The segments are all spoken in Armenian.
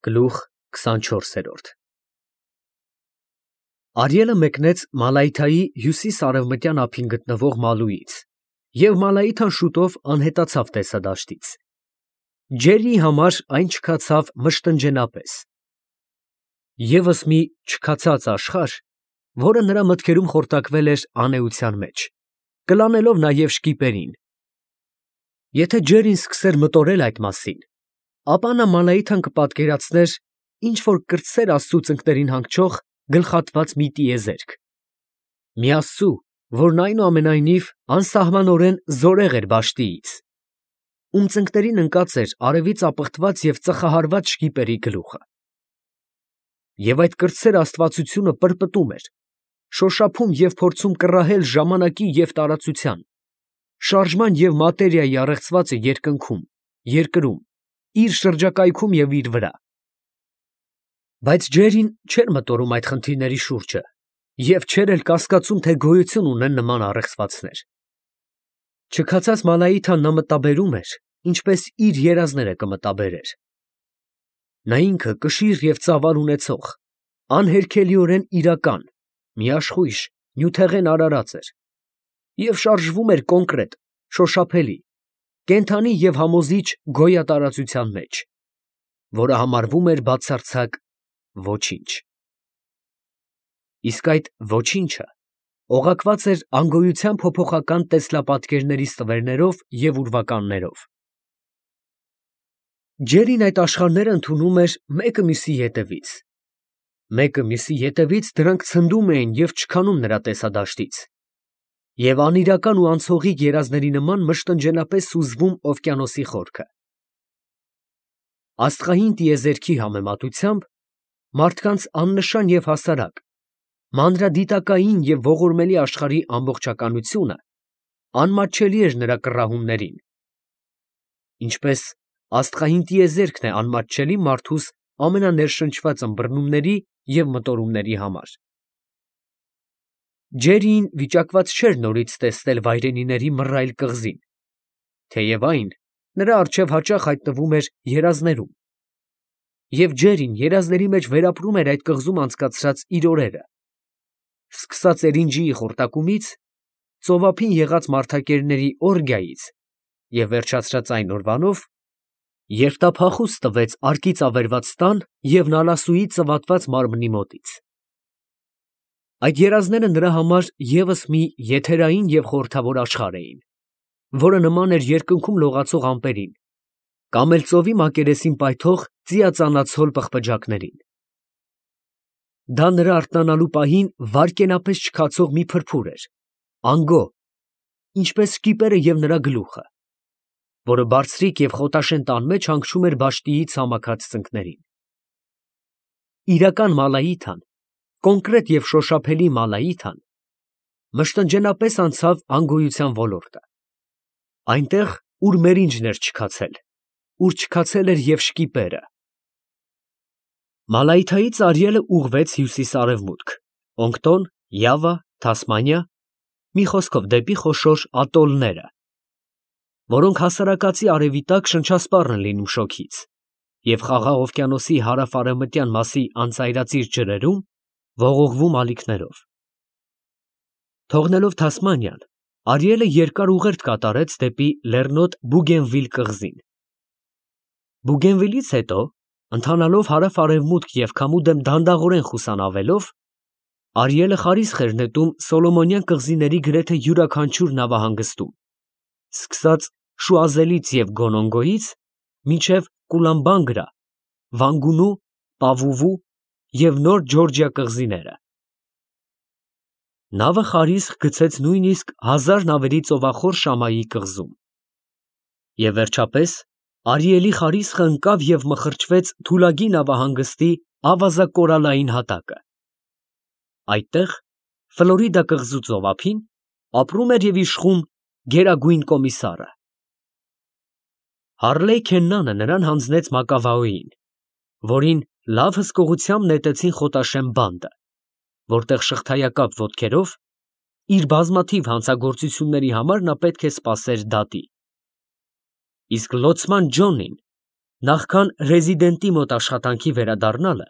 Գլուխ 24 Արիելը մեկնեց Մալայթայի հյուսիս֊արևմտյան ափին գտնվող Մալուից, և Մալայիթան շուտով անհետացավ տեսադաշտից. Ջերրիի համար այն չքացավ մշտնջենա պես. ևս մի չքացած աշխարհ, որը նրա մտքերում խորտակվել էր անէության մեջ, կլանելով նաև շկիպերին. եթե Ջերրին սկսեր մտորել այդ մասին, ապա նա Մալայիթան կպատկերացներ ինչ-որ կրտսեր Աստծու ծնկներին հանգչող գլխատված մի տիեզերք, մի Աստծու, որն այնուամենայնիվ անսահմանորեն զորեղ էր բաշտիից, ում ծնկներին ընկած էր արևից ապխտված և ծխահարված շկիպերի գլուխը. և այդ կրտսեր աստվածությունը պրպտում էր, շոշափում և փորձում կռահել ժամանակի և տարածության, շարժման և մատերիայի առեղծվածը երկնքում, երկրում, իր շրջակայքում և իր վրա. բայց Ջերրին չէր մտորում այդ խնդիրների շուրջը և չէր էլ կասկածում, թե գոյություն ունեն նման առեղծվածներ. չքացած Մալայիթան նա մտաբերում էր, ինչպես իր երազները կմտաբերեր. նա ինքը կշիռ և ծավալ ունեցող, անհերքելիորեն իրական, միաշխույժ, նյութեղեն արարած էր և շարժվում էր կոնկրետ, շոշափելի, կենդանի և համոզիչ գոյատարածության մեջ, որը համարվում էր բացարձակ ոչինչ. իսկ այդ ոչինչը օղակված էր անգոյության փոփոխական տեսլապատկերների ստվերներով և ուրվականներով. Ջերրին այդ աշխարհները ընդունում էր մեկը մյուսի ետևից դրանք ցնդում էին և չքանում նրա տեսադաշտից, և անիրական ու անցողիկ երազների նման մշտնջենապես սուզվում օվկիանոսի խորքը. աստղային տիեզերքի համեմատությամբ մարդկանց աննշան և հասարակ, մանրադիտակային և ողորմելի աշխարհի ամբողջականությունը անմատչելի էր նրա կռահումներին, ինչպես աստղային տիեզերքն է անմատչելի մարդուս ամենաներշնչված ըմբռնումների և մտորումների համար. Ջերրիին վիճակված չէր նորից տեսնել վայրենիների մռայլ կղզին, թեև այն նրա առջև հաճախ հայտնվում էր երազներում, և Ջերրին երազների մեջ վերապրում էր այդ կղզում անցկացրած իր օրերը, սկսած էրինջիի խորտակումից, ծովափին եղած մարդակերների օրգիայից և վերջացրած այն օրվանով, երբ նա փախուստ տվեց արկից ավերված տան և նալասուի ծվատված մարմնի մոտից. այդ երազները նրա համար ևս մի եթերային և խորհրդավոր աշխարհ էին, որը նման էր երկնքում լողացող ամպերին կամ էլ ծովի մակերեսին պայթող ծիածանացհոլ պղպջակներին. դա նրա արթնանալու պահին վայրկենապես չքացող մի փրփուր էր, անգո, ինչպես շկիպերը և նրա գլուխը, որը բարձրիկ և խոտաշեն տան մեջ հանգչում էր բաշտիի ցամաքած ծնկներին. իրական Մալայիթան, կոնկրետ և շոշափելի Մալայիթան մշտնջենապես անցավ անգոյության ոլորտը, այնտեղ, ուր մերինջն էր չքացել, ուր չքացել էր և շկիպերը. Մալայիթայից Արիելը ուղղվեց հյուսիս֊արևմուտք, Օնկտոն, Յավա, Թասմանիա, մի խոսքով դեպի խոշոր ատոլները, որոնք հասարակածի արևի տակ շնչասպառ են լինում շոգից և Խաղաղ օվկիանոսի հարավ֊արևմտյան մասի անծայրածիր ջրերում ողողվում ալիքներով. թողնելով Թասմանիան, Արիելը երկար ուղերձ կատարեց դեպի լեռնոտ Բուգենվիլ կղզին. Բուգենվիլից հետո, ընթանալով հարավ֊արևմուտք և քամու դեմ դանդաղորեն խուսանավելով, Արիելը խարիսխ էր նետում Սոլոմոնյան կղզիների գրեթե յուրաքանչյուր նավահանգստում, սկսած Շուազելից և Գոնոնգոյից մինչև Կուլամբանգրա, Վանգունու, Պավուվու և Նոր Ջորջիա կղզիները. նավը խարիսխ գցեց նույնիսկ 1000 նավերի ծովախոր Շամայի կղզում, և վերջապես Արիելի խարիսխը ընկավ և մխրճվեց Թուլագի նավահանգստի ավազակորալային հատակը. այդտեղ, Ֆլորիդա կղզու ծովափին, ապրում էր և իշխում Գերագույն կոմիսարը. Հարլեյ Քեննանը նրան հանձնեց Մակավաոյին, որին լավ հսկողությամբ նետեցին խոտաշեմ բանդը, որտեղ շղթայակապ ոտքերով իր բազմաթիվ հանցագործությունների համար նա պետք է սպասեր դատի, իսկ լոցման Ջոնին Նախքան ռեզիդենտի մոտ աշխատանքի վերադառնալը,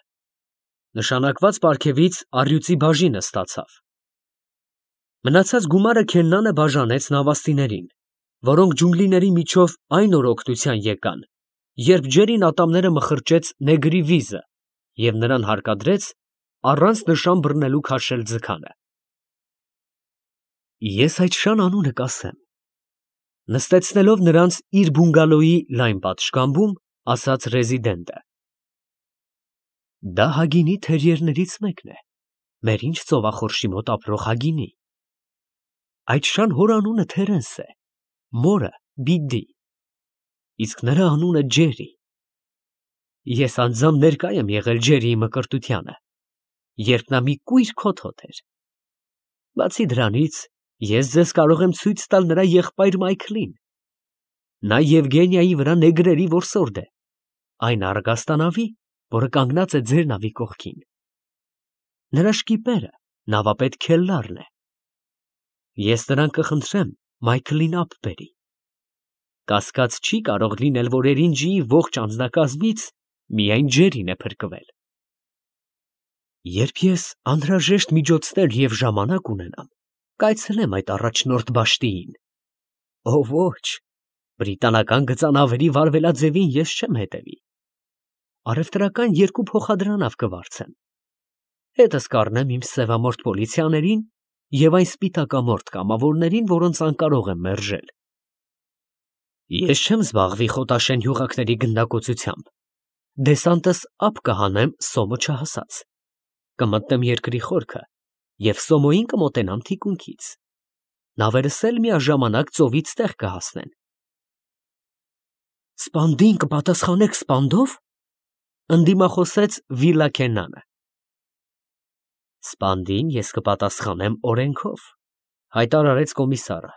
նշանակված պարգևից առյուծի բաժինը ստացավ։ Մնացած գումարը Քեննանը բաժանեց նավաստիներին, որոնք ջունգլիների միջով այն օր օգնության եկան, երբ ջերին ատամները մխրճեց նեգրի վիզը և նրան հարկադրեց առանց նշան բռնելու քաշել ձգանը։ Ես այդ շան անունը կասեմ, նստեցնելով նրանց իր բունգալոյի լայն պատշգամբում, ասաց ռեզիդենտը։ Դա Հագինի թերիերներից մեկն է, մեր ինչ ծովախորշի մոտ ապրող Հագինի։ Այդ շան հոր անունը Թերենս է, մորը Բիդդի, իսկ նրա անունը Ջերի։ Ես անձամբ ներկա եմ եղել Ջերիի մկրտությանը, երբ նա մի կույր քոթոտ էր։ Բացի դրանից, ես ձեզ կարող եմ ցույց տալ նրա եղբայր Մայքլին։ Նա Եվգենիայի վրա նեգրերի որսորդ է, այն առգաստանավի, որը կանգնած է ձեր նավի կողքին։ Նրա շկիպերը նավապետ Քելլարն է։ Ես նրան կխնդրեմ Մայքլին ափ բերի։ Կասկած չի կարող լինել, որ Էրինջիի ողջ անձնակազմից միայն Ջերին է փրկվել։ Երբ ես անհրաժեշտ միջոցներ և ժամանակ ունենամ, կայցելեմ այդ առաջնորդ բաշտիին։ Ո ոչ, բրիտանական գծանավերի վարվելաձևին ես չեմ հետևի։ Առևտրական 2 փոխադրանավ կվարձեմ։ Հետս կառնեմ իմ սևամորթ պոլիցիաներին և այն սպիտակամորթ կամավորներին, որոնց անկարող եմ մերժել։ Ես չեմ զբաղվի խոտաշեն յուղակների գնդակոծությամբ։ Դեսանտս ափ կհանեմ Սոմը չհասած։ Կմտնեմ երկրի խորքը և Սոմոյին կմոտենամ թիկունքից։ Նավերս էլ միաժամանակ ծովից տեղ կհասնեն։ Սպանդին կպատասխանեք սպանդով, ընդդիմախոսեց Վիլլա Քեննանը։ Սպանդին ես կպատասխանեմ օրենքով, հայտարարեց կոմիսարը։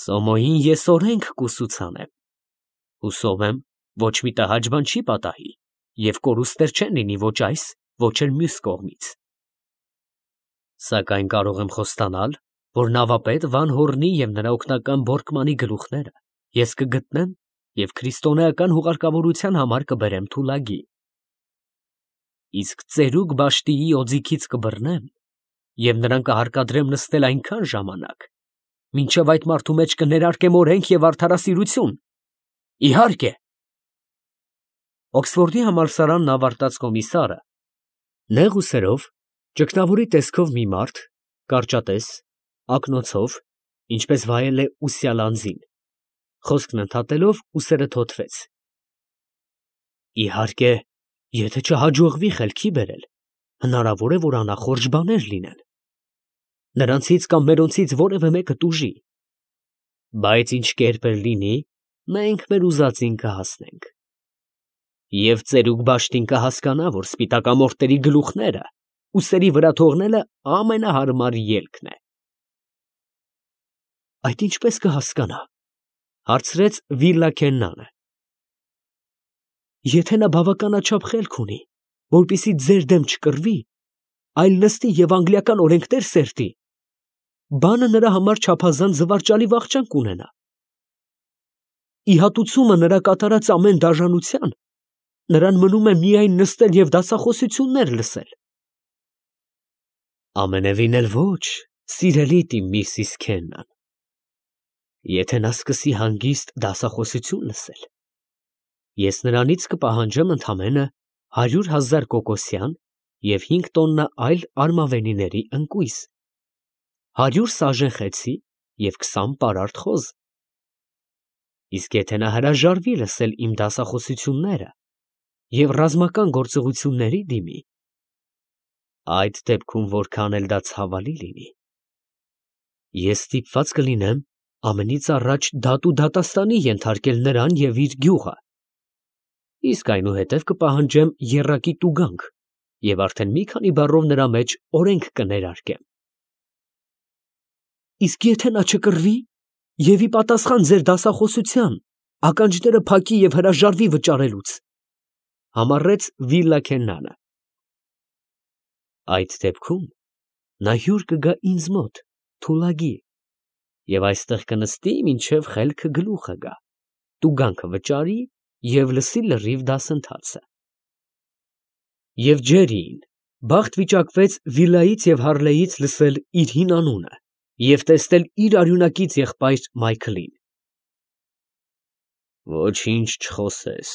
Սոմոյին ես օրենք կուսուցանեմ։ Հուսով եմ, ոչ մի տհաճ բան չի պատահի և կորուստներ չեն լինի ոչ այս, ոչ էլ մյուս կողմից։ Սակայն կարող եմ խոստանալ, որ նավապետ Վան Հորնի և նրա օգնական Բորկմանի գլուխները ես կգտնեմ և քրիստոնեական հուղարկավորության համար կբերեմ Թուլագի։ Իսկ ծերուկ բաշտիի օձիքից կբռնեմ և նրան կհարկադրեմ նստել այնքան ժամանակ, մինչև այդ մարդու մեջ կներարկեմ օրենք և արդարասիրություն։ Իհարկե։ Օքսֆորդի համալսարանն ավարտած կոմիսարը, նեղ ուսերով, ճգնավորի տեսքով մի մարդ, կարճատես, ակնոցով, ինչպես վայել է ուսյալ անձին, խոսքն ընդհատելով ուսերը թոթվեց։ Իհարկե, եթե չհաջողվի խելքի բերել, հնարավոր է, որ անախորժ բաներ լինեն։ Նրանցից կամ մերոնցից որևէ մեկը տուժի։ Բայց ինչ կերպ էլ լինի, մենք մեր ուզածին կհասնենք։ Եվ ծերուկ բաշտին կհասկանա, որ սպիտակամորթերի գլուխները ուսերի վրա թողնելը ամենահարմար ելքն է։ Այդ ինչպես կհասկանա, հարցրեց Վիլլա Քեննանը։ Եթե նա բավականաչափ խելք ունի, որպեսզի ձեր դեմ չկռվի, այլ նստի և անգլիական օրենքներ սերտի, բանը նրա համար չափազանց զվարճալի վախճան կունենա։ Ի հատուցումը նրա կատարած ամեն դաժանության, նրան մնում է միայն նստել և դասախոսություններ լսել։ Ամենևին էլ ոչ, սիրելի իմ Միսիս Քեննան։ Եթե նա սկսի հանգիստ դասախոսություն լսել, ես նրանից կպահանջեմ ընդամենը 100,000 կոկոսյան և 5 տոննա այլ արմավենիների ընկույզ, 100 սաժեն խեցի և 20 պարարտ խոզ։ Իսկ եթե նա հրաժարվի լսել իմ դասախոսությունները և ռազմական գործողությունների դիմի, այդ դեպքում որքան էլ դա ցավալի լինի, ես ստիպված կլինեմ ամենից առաջ դատու դատաստանի ենթարկել նրան և իր գյուղը, իսկ այնուհետև կպահանջեմ եռակի տուգանք և արդեն մի քանի բառով նրա մեջ օրենք կներարկեմ։ Իսկ եթե նա չկռվի և ի պատասխան ձեր դասախոսության ականջները փակի և հրաժարվի վճարելուց, համառեց Վիլլա Քեննանը, այդ դեպքում նա հյուր կգա ինձ մոտ, Թուլագի, և այստեղ կնստի, մինչև խելքը գլուխը գա, տուգանքը վճարի և լսի լրիվ դասընթացը։ Եվ Ջերրիին բախտ վիճակվեց Վիլայից և Հարլեից լսել իր հին անունը և տեսնել իր արյունակից եղբայր Մայքլին։ «Ոչինչ չխոսես»,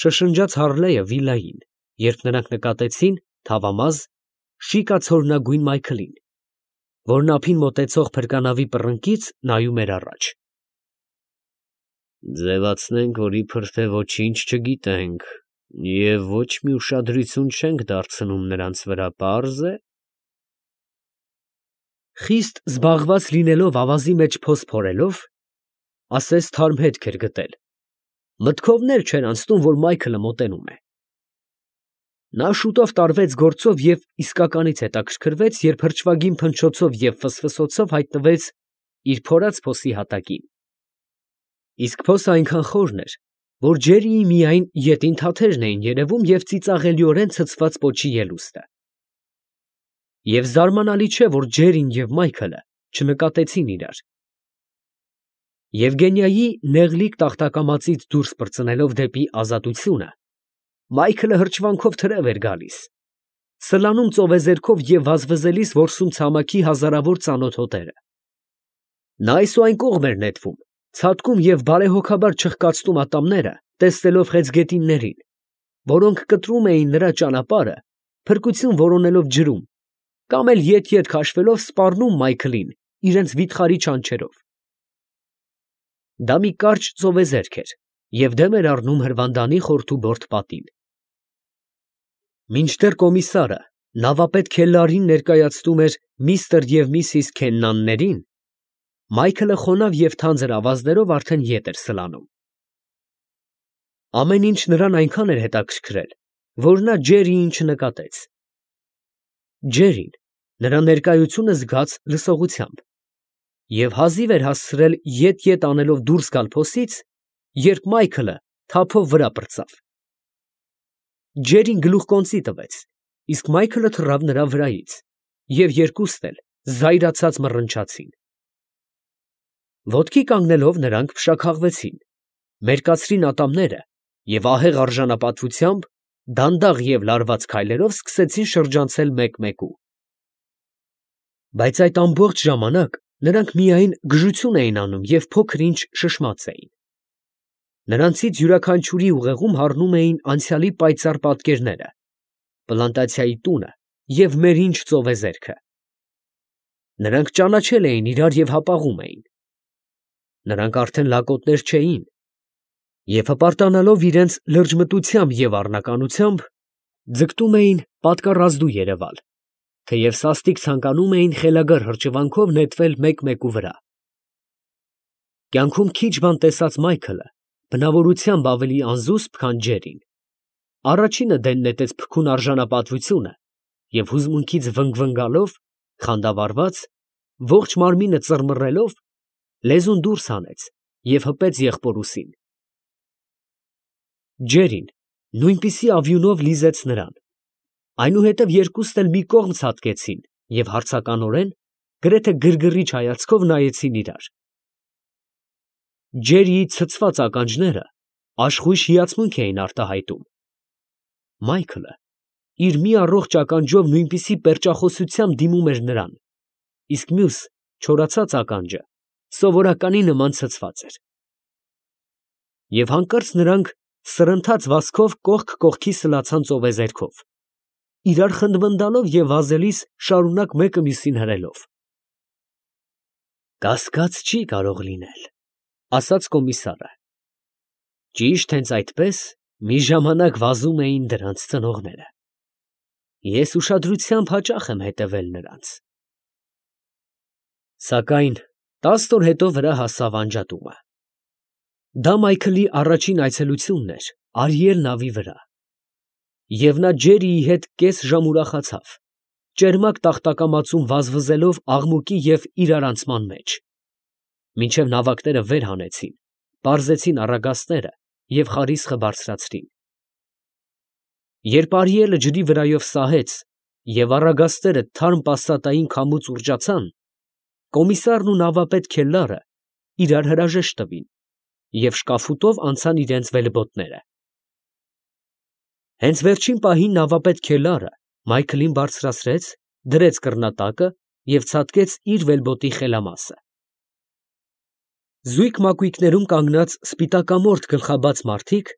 շշնջաց Հարլեը Վիլային, երբ նրանք նկատեցին թավամազ, շիկացորնագույն Մայքլին, որն ափին մոտեցող փրկանավի պռնկից նայում էր առաջ։ «Ձևացնենք, որ իբր թե ոչինչ չգիտենք և ոչ մի ուշադրություն չենք դարձնում նրանց վրա, պարզ է»։ Խիստ զբաղված լինելով ավազի մեջ փոս փորելով, ասես թարմ հետք էր գտել, մտքովն էլ չէր անցնում, որ Մայքլը մոտենում է։ Նա շուտով տարվեց գործով և իսկականից հետաքրքրվեց, երբ հրճվագին փնչոցով և ֆսֆսոցով հայտնվեց իր փորած փոսի հատակին։ Իսկ փոսը այնքան խորն էր, որ Ջերրիի միայն ետին թաթերն էին երևում և ծիծաղելիորեն ցցված պոչի ելուստը։ Եվ զարմանալի չէ, որ Ջերրին և Մայքլը չնկատեցին իրար։ Եվգենիայի նեղլիկ տախտակամածից դուրս պրծնելով դեպի ազատությունը, Մայքլը հրճվանքով թրև էր գալիս, սլանում ծովեզերքով և վազվզելիս որսում ցամաքի հազարավոր ծանոթ հոտերը։ Նա այս ու այն կողմ էր նետվում, ցատկում և բարեհոգաբար չխկացնում ատամները, տեսնելով խեցգետիններին, որոնք կտրում էին նրա ճանապարհը, փրկություն որոնելով ջրում, կամ էլ ետ քաշվելով սպառնում Մայքլին իրենց վիթխարի չանչերով։ Դա մի կարճ ծովեզերք էր և դեմ էր առնում հրվանդանի խորթուբորդ պատին։ Մինչդեռ կոմիսարը նավապետ Քելլարին ներկայացնում էր միստր և միսիս Քեննաններին, Մայքլը խոնավ և թանձր ավազներով արդեն ետ էր սլանում։ Ամեն ինչ նրան այնքան էր հետաքրքրել, որ նա Ջերրիին չնկատեց։ Ջերրին նրա ներկայությունը զգաց լսողությամբ և հազիվ էր հասցրել ետ անելով դուրս գալ փոսից, երբ Մայքլը թափով վրա պրծավ։ Ջերրին գլուխկոնծի տվեց, իսկ Մայքլը թռավ նրա վրայից, և երկուսն էլ զայրացած մռնչացին։ Ոտքի կանգնելով նրանք փշաքաղվեցին, մերկացրին ատամները և ահեղ արժանապատվությամբ դանդաղ և լարված քայլերով սկսեցին շրջանցել մեկ֊մեկու։ Բայց այդ ամբողջ ժամանակ նրանք միայն գժություն էին անում և փոքր֊ինչ շշմած էին։ Նրանցից յուրաքանչյուրի ուղեղում հառնում էին անցյալի պայծառ պատկերները, պլանտացիայի տունը և մերինջ ծովեզերքը։ Նրանք ճանաչել էին իրար և հապաղում էին։ Նրանք արդեն լակոտներ չէին, և հպարտանալով իրենց լրջմտությամբ և առնականությամբ, ձգտում էին պատկառազդու երևալ, թեև սաստիկ ցանկանում էին խելագար հրճվանքով նետվել մեկ֊մեկու վրա։ Կյանքում քիչ բան տեսած Մայքլը բնավորությամբ ավելի անզուսպ, քան Ջերրին, առաջինը դեն նետեց փքուն արժանապատվությունը և հուզմունքից վնգվնգալով, խանդավառված, ողջ մարմինը ծռմռելով, լեզուն դուրս հանեց և հպեց եղբոր ուսին։ Ջերրին նույնպիսի ավյունով լիզեց նրան, այնուհետև երկուսն էլ մի կողմ ցատկեցին և հարցականորեն, գրեթե գրգռիչ հայացքով նայեցին իրար։ Ջերրիի ցցված ականջները աշխույժ հիացմունք էին արտահայտում։ Մայքլը իր մի առողջ ականջով նույնպիսի պերճախոսությամբ դիմում էր նրան, իսկ մյուս չորացած ականջը սովորականի նման ցցված էր։ Եվ հանկարծ նրանք սրընթաց վազքով կողք կողքի սլացան ծովեզերքով, իրար խնդմնդալով և վազելիս շարունակ մեկը մյուսին հրելով։ «Կասկած չի կարող լինել», ֊ ասաց կոմիսարը։ «Ճիշտ հենց այդպես մի ժամանակ վազում էին դրանց ծնողները։ Ես ուշադրությամբ հաճախ եմ հետևել նրանց»։ Սակայն 10 օր հետո վրա հասավ անջատումը։ Դա Մայքլի առաջին այցելությունն էր Արիել նավի վրա, և նա Ջերրիի հետ կես ժամ ուրախացավ, ճերմակ տախտակամածում վազվզելով աղմուկի և իրարանցման մեջ, մինչև նավակները վեր հանեցին, պարզեցին առագաստները և խարիսխը բարձրացրին։ Երբ Արիելը ջրի վրայով սահեց և առագաստերը թարմ պասատային քամուց ուռճացան, կոմիսարն ու նավապետ Քելլարը իրար հրաժեշտ տվին և շկաֆուտով անցան իրենց վելբոտները։ Հենց վերջին պահին նավապետ Քելարը Մայքլին բարձրացրեց, դրեց կռնատակը և ցատկեց իր վելբոտի խելամասը։ Զույգ մակույկներում կանգնած սպիտակամորթ գլխաբաց մարդիկ,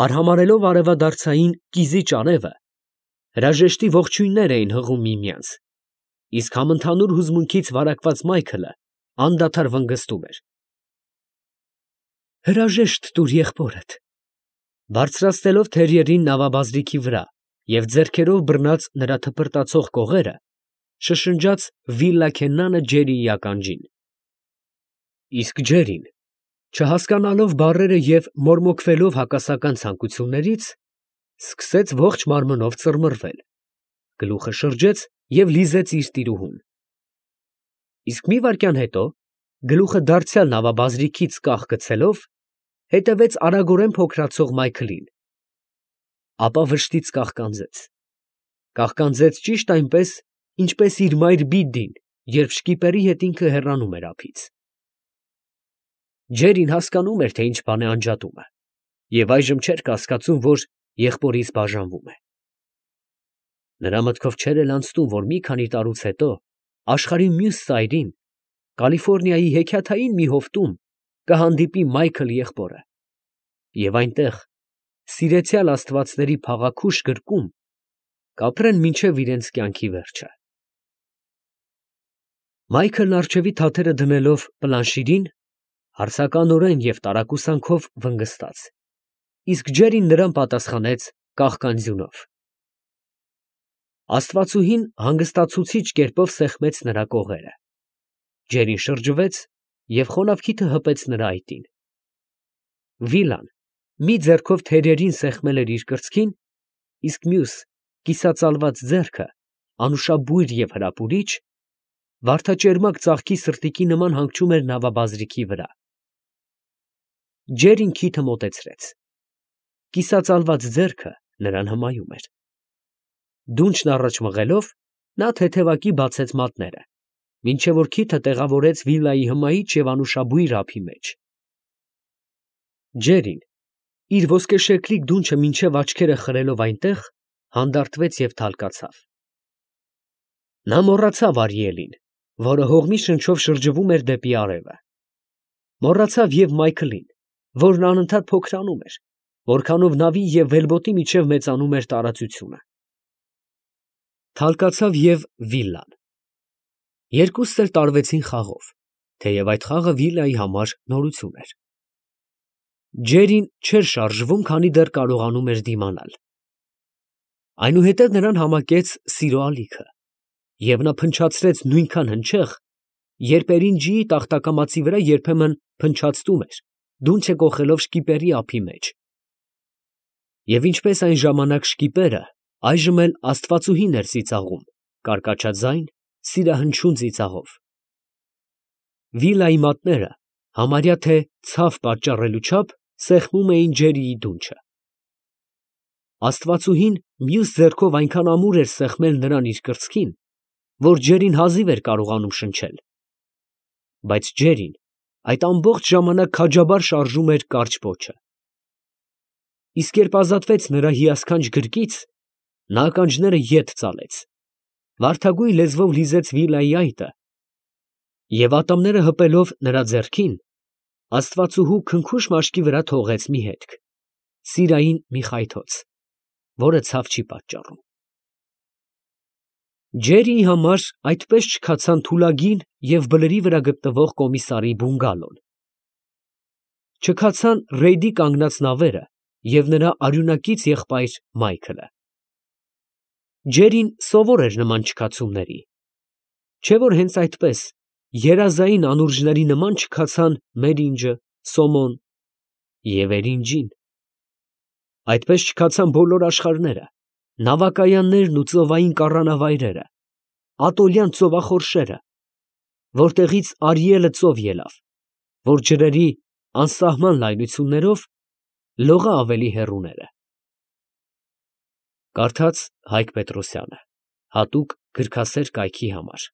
արհամարհելով արևադարձային կիզի արևը, հրաժեշտի ողջույններ էին հղում միմյանց, իսկ համընդհանուր հուզմունքից վարակված Մայքլը անդադար վնգստում էր. «Հրաժեշտ տուր եղբորդ», բարձրացնելով թերիերին նավաբազրիքի վրա և ձեռքերով բռնած նրա թպրտացող կողերը, շշնջաց Վիլլա Քեննանը Ջերիի ականջին։ Իսկ Ջերին, չհասկանալով բառերը և մորմոքվելով հակասական ցանկություններից, սկսեց ողջ մարմնով ծռմռվել, գլուխը շրջեց և լիզեց իր տիրուհուն։ Իսկ մի վայրկյան հետո, գլուխը դարձյալ նավաբազրիքից կախ գցելով, հետևեց արագորեն փոքրացող Մայքլին, ապա վշտից կաղկանձեց ճիշտ այնպես, ինչպես իր մայր Բիդդին, երբ շկիպերի հետ ինքը հեռանում էր ափից։ Ջերին հասկանում էր, թե ինչ բան է անջատումը, և այժմ չէր կասկածում, որ եղբորից բաժանվում է։ Նրա մտքով չէր էլ անցնում, որ մի քանի տարուց հետո աշխարհի մյուս ծայրին, Կալիֆոռնիայի հեքիաթային մի հովտում, կհանդիպի Մայքլ եղբորը, և այնտեղ, սիրեցյալ աստվածների փաղաքուշ գրկում, կապրեն մինչև իրենց կյանքի վերջը։ Մայքլն առջևի թաթերը դնելով պլանշիրին, հարցականորեն և տարակուսանքով վնգստաց, իսկ Ջերին նրան պատասխանեց կաղկանձյունով։ Աստվածուհին հանգստացուցիչ կերպով սեղմեց նրա կողերը։ Ջերին շրջվեց և խոնավ քիթը հպեց նրա այտին։ Վիլան մի ձեռքով թերերին սեղմել էր իր կրծքին, իսկ մյուս կիսածալված ձեռքը, անուշաբույր և հրապուրիչ, վարդաճերմակ ծաղկի սրտիկի նման հանգչում էր նավաբազրիքի վրա։ Ջերին քիթը մոտեցրեց։ Կիսածալված ձեռքը նրան հմայում էր։ Դունչն առաջ մղելով, նա թեթևակի բացեց մատները, մինչև որ քիթը տեղավորեց վիլայի հմայիչ և անուշաբույր ափի մեջ։ Ջերին, իր ոսկեշեկլիկ դունչը մինչև աչքերը խրելով այնտեղ, հանդարտվեց և թալկացավ։ Նա մոռացավ Արիելին, որը հողմի շնչով շրջվում էր դեպի արևը։ Մոռացավ և Մայքլին, որն անընդհատ փոքրանում էր, որքանով նավի և վելբոտի միջև մեծանում էր տարածությունը։ Թալկացավ և Վիլան։ Երկուսն էլ տարվեցին խաղով, թեև այդ խաղը Վիլայի համար նորություն էր։ Ջերին չէր շարժվում, քանի դեռ կարողանում էր դիմանալ։ Այնուհետև նրան համակեց սիրո ալիքը, և նա փնչացրեց նույնքան հնչեղ, երբ էրինջիի տախտակամածի վրա երբեմն փնչացնում էր, դունչը կոխելով շկիպերի ափի մեջ։ Եվ ինչպես այն ժամանակ շկիպերը, այժմ էլ աստվածուհին էր ծիծաղում, կարկաչաձայն, սիրահնչյուն ծիծաղով։ Վիլայի մատները համարյա թե ցավ պատճառելու չափ սեղմում էին Ջերիի դունչը։ Աստվածուհին մյուս ձեռքով այնքան ամուր էր սեղմել նրան իր կրծքին, որ Ջերին հազիվ էր կարողանում շնչել։ Բայց Ջերին այդ ամբողջ ժամանակ քաջաբար շարժում էր կարճ պոչը։ Իսկ երբ ազատվեց նրա հիասքանչ գրկից, նա ականջները ետ ծալեց, վարդագույն լեզվով լիզեց Վիլայի այտը և ատամները հպելով նրա ձեռքին, աստվածուհու քնքուշ մաշկի վրա թողեց մի հետք, սիրային մի խայթոց, որը ցավ չի պատճառում։ Ջերիի համար այդպես չքացան թուլագին և բլրի վրա գտնվող կոմիսարի բունգալոն։ Չքացան ռեյդի կանգնած նավերը և նրա արյունակից եղբայր Մայքլը։ Ջերին սովոր էր նման չքացումների, չէ՞ որ հենց այդպես երազային անուրջների նման չքացան Մերինջը, Սոմոն և Էրինջին։ Այդպես չքացան բոլոր աշխարհները, նավակայաններն ու ծովային կառանավայրերը, ատոլյան ծովախորշերը, որտեղից Արիելը ծով ելավ, որ ջրերի անսահման լայնություններով լողա ավելի հեռուները։ Կարդաց Հայկ Պետրոսյանը, հատուկ գրքասեր կայքի համար։